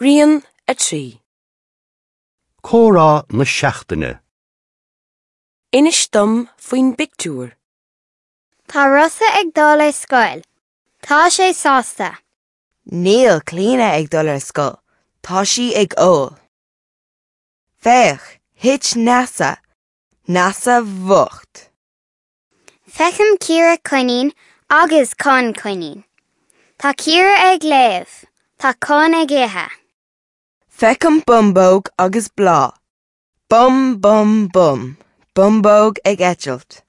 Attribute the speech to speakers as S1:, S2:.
S1: Rian 3.
S2: Comhrá na Seachtaine.
S1: Inis dom faoin bpictiúr.
S3: Tá Rossa ag dul ar scoil. Tá sé sásta.
S4: Níl Clíona ag dul ar scoil. Tá sí ag ól. Féach, thit Neasa. Neasa bhocht.
S3: Feicim Ciara coinín agus Con coinín. Tá Ciara ag léamh. Tá Con ag ithe.
S4: Feicim bumbóg agus bláth. Bum bum bum. Bumbóg ag eitilt.